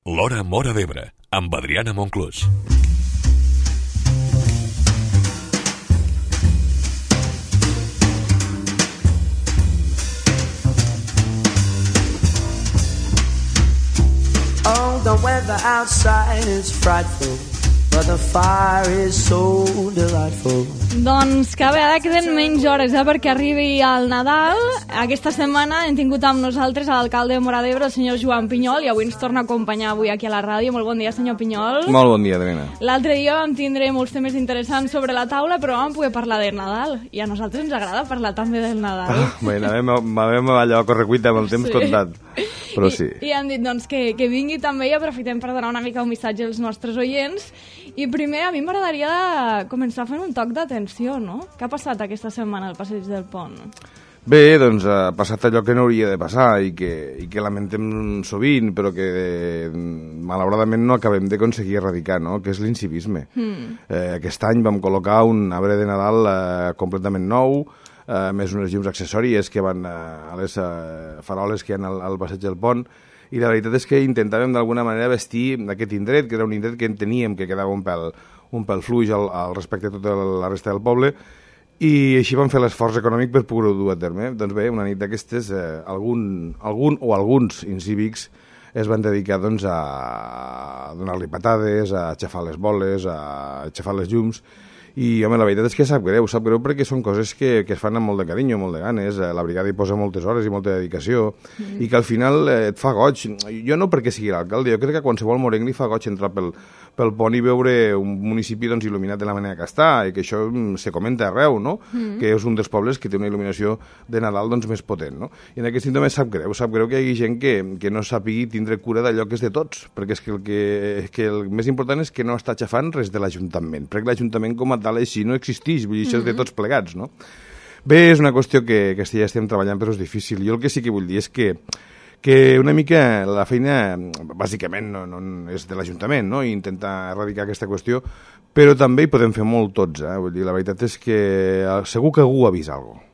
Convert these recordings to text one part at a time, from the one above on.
L'Hora Móra d'Ebre, amb Adriana Monclús. Oh, the weather outside is frightful, but the fire is so delightful. Doncs cada vegada queden menys hores perquè arribi el Nadal. Aquesta setmana hem tingut amb nosaltres l'alcalde de Móra d'Ebre, el senyor Joan Pinyol, i avui ens torna a acompanyar avui aquí a la ràdio. Molt bon dia, senyor Pinyol. Molt bon dia, Adriana. L'altre dia vam tindre molts temes interessants sobre la taula, però vam poder parlar del Nadal, i a nosaltres ens agrada parlar també del Nadal. Bé, anàvem allò a correcuita amb el temps comptat, però sí. I han dit doncs, que vingui també i aprofitem per donar una mica un missatge als nostres oients. I primer, a mi m'agradaria començar fent un toc d'atenció, no? Què ha passat aquesta setmana al Passeig del Pont? Bé, doncs ha passat allò que no hauria de passar i que lamentem sovint, però que malauradament no acabem d'aconseguir erradicar, no? Que és l'incivisme. Aquest any vam col·locar un arbre de Nadal completament nou, més unes llums accessòries que van a les faroles que hi ha al Passeig del Pont, i la veritat és que intentàvem d'alguna manera vestir aquest indret, que era un indret que enteníem que quedava un pèl fluix al respecte a tota la resta del poble, i així vam fer l'esforç econòmic per poder-ho dur a terme. Doncs bé, una nit d'aquestes, alguns incívics es van dedicar doncs, a donar-li patades, a aixafar les boles, a aixafar les llums, i home, la veritat és que sap greu perquè són coses que es fan amb molt de carinyo, molt de ganes, la brigada hi posa moltes hores i molta dedicació, i que al final et fa goig. Jo no perquè sigui l'alcalde, jo crec que a qualsevol morenc li fa goig entrar pel pont i veure un municipi doncs, il·luminat de la manera que està, i que això se comenta arreu, no? Que és un dels pobles que té una il·luminació de Nadal doncs, més potent, no? I en aquest sentit sap greu que hi hagi gent que no sàpigui tindre cura d'allò que és de tots, perquè és que el més important és que no està aixafant res de l'Ajuntament, perquè l'Ajuntament com a tal així no existeix, vull dir, això és de tots plegats, no? Bé, és una qüestió que ja estem treballant, però és difícil. Jo el que sí que vull dir és que una mica la feina, bàsicament, no és de l'Ajuntament, no? I intentar erradicar aquesta qüestió, però també hi podem fer molt tots, Vull dir, la veritat és que segur que algú avisa alguna cosa.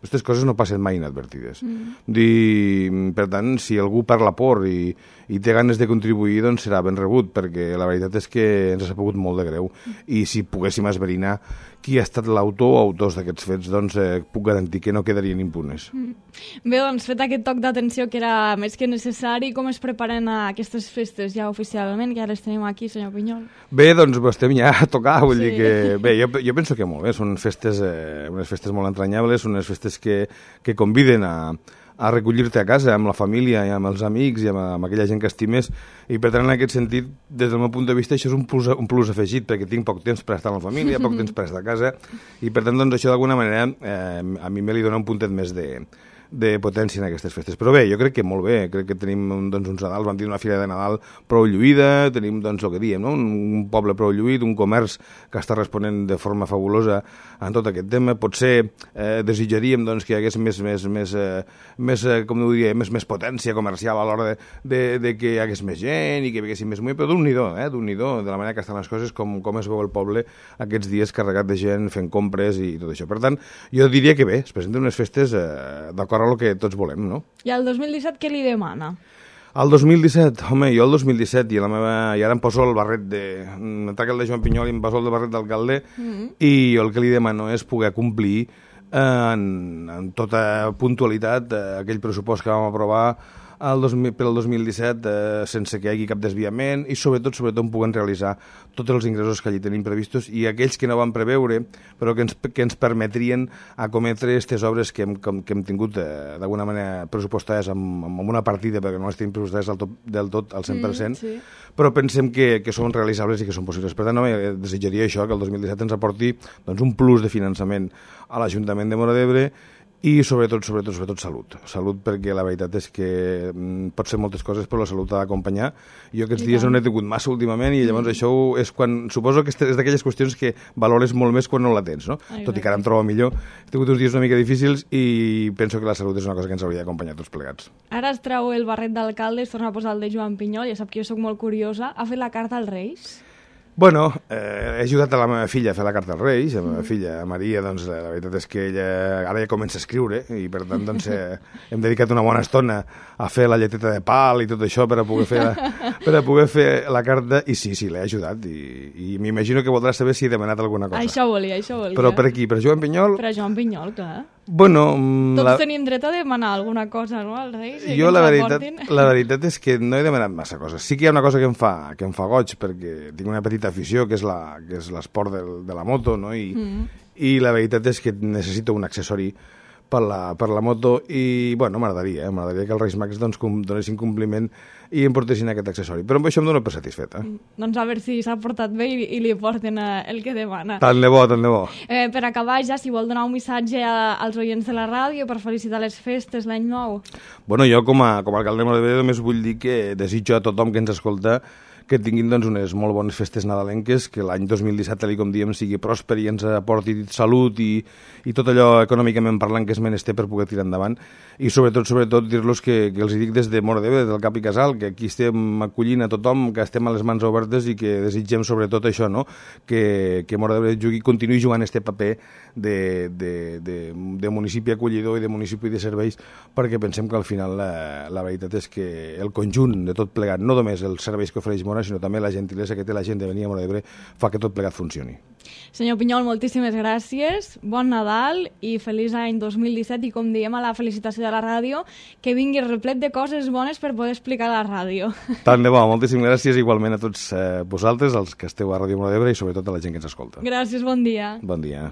Aquestes coses no passen mai inadvertides. Per tant, si algú parla por i té ganes de contribuir, doncs serà ben rebut, perquè la veritat és que ens ha sapugut molt de greu. I si poguéssim esbrinar qui ha estat l'autor o autors d'aquests fets, doncs puc garantir que no quedarien impunes. Bé, doncs, fet aquest toc d'atenció que era més que necessari, com es preparen aquestes festes ja oficialment, que ja les tenim aquí, senyor Pinyol? Bé, doncs estem ja a tocar, vull dir que... Bé, jo penso que molt bé, són festes, unes festes molt entranyables, unes festes que conviden a recollir-te a casa amb la família i amb els amics i amb aquella gent que estimes, i per tant en aquest sentit, des del meu punt de vista, això és un plus afegit, perquè tinc poc temps per estar amb la família, poc temps per estar a casa, i per tant doncs, això d'alguna manera a mi me li dona un puntet més de potència en aquestes festes. Però bé, jo crec que molt bé, crec que tenim doncs, uns Nadals, vam dir una fira de Nadal prou lluïda, tenim doncs el que diem, no? Un poble prou lluït, un comerç que està responent de forma fabulosa en tot aquest tema. Potser desitjaríem doncs, que hi hagués més potència comercial a l'hora de que hi hagués més gent i que hi haguessin més moviment, però d'un-n'hi-do, de la manera que estan les coses, com es veu el poble aquests dies carregat de gent fent compres i tot això. Per tant, jo diria que bé, es presenten unes festes d'acord a el que tots volem, no? I el 2017 què li demana? El 2017, home, jo el 2017 i ara em poso el barret em trec el de Joan Pinyol i em poso el barret d'alcalde, i jo el que li demano és poder complir en tota puntualitat aquell pressupost que vam aprovar per al 2017 sense que hi hagi cap desviament, i sobretot puguem realitzar tots els ingressos que allí tenim previstos i aquells que no vam preveure però que ens permetrien acometre aquestes obres que hem tingut d'alguna manera pressupostades amb una partida, perquè no les tenim pressupostades del tot al 100%, sí. Però pensem que són realitzables i que són possibles. Per tant, desitjaria això, que el 2017 ens aporti doncs, un plus de finançament a l'Ajuntament de Móra d'Ebre, i sobretot salut, perquè la veritat és que pot ser moltes coses, però la salut ha d'acompanyar. Jo aquests dies no n'he tingut massa últimament, i llavors això és quan, suposo que és d'aquelles qüestions que valores molt més quan no la tens, no? Tot i que ara em trobo millor. He tingut uns dies una mica difícils i penso que la salut és una cosa que ens hauria d'acompanyar tots plegats. Ara es treu el barret d'alcalde, es torna a posar el de Joan Pinyol, ja sap que jo soc molt curiosa. Ha fet la carta als Reis? Bueno, he ajudat a la meva filla a fer la carta als Reis, a la meva filla, Maria, doncs la veritat és que ella ara ja comença a escriure i per tant doncs, hem dedicat una bona estona a fer la lleteta de pal i tot això per a poder fer la carta i sí, l'he ajudat i m'imagino que voldrà saber si he demanat alguna cosa. Això volia. Però per aquí, per Joan Pinyol? Per a Joan Pinyol, clar. Bueno, tots tenim dret a demanar alguna cosa, no, als Reis? Jo la veritat és que no he demanat massa coses. Sí que hi ha una cosa que em fa goig, perquè tinc una petita afició, que és l'esport de la moto, no? I la veritat és que necessito un accessori per la moto i, bueno, m'agradaria que els Reis Mags donessin compliment i em portessin aquest accessori. Però amb això em dono per satisfeta. Doncs a veure si s'ha portat bé i li porten el que demana. Tant de bo. Per acabar ja, si vol donar un missatge als oients de la ràdio per felicitar les festes l'any nou. Bueno, jo com a alcalde de Móra d'Ebre només vull dir que desitjo a tothom que ens escolta que tinguin doncs, unes molt bones festes nadalenques, que l'any 2017, tal com diem, sigui pròsper i ens aporti salut i tot allò econòmicament parlant que és menester per poder tirar endavant. I sobretot dir-los que els dic des de Móra d'Ebre, del cap i casal, que aquí estem acollint a tothom, que estem a les mans obertes i que desitgem sobretot això, no? Que Móra d'Ebre continuï jugant este paper de municipi acollidor i de municipi de serveis, perquè pensem que al final la veritat és que el conjunt de tot plegat, no només els serveis que ofereix Móra, sinó també la gentilesa que té la gent de venir a Móra d'Ebre, fa que tot plegat funcioni. Senyor Pinyol, moltíssimes gràcies, bon Nadal i feliç any 2017 i com diem a la felicitació de la ràdio, que vingui replet de coses bones per poder explicar a la ràdio. Tant de bo, moltíssimes gràcies igualment a tots vosaltres, els que esteu a Ràdio Móra d'Ebre i sobretot a la gent que ens escolta. Gràcies, bon dia. Bon dia.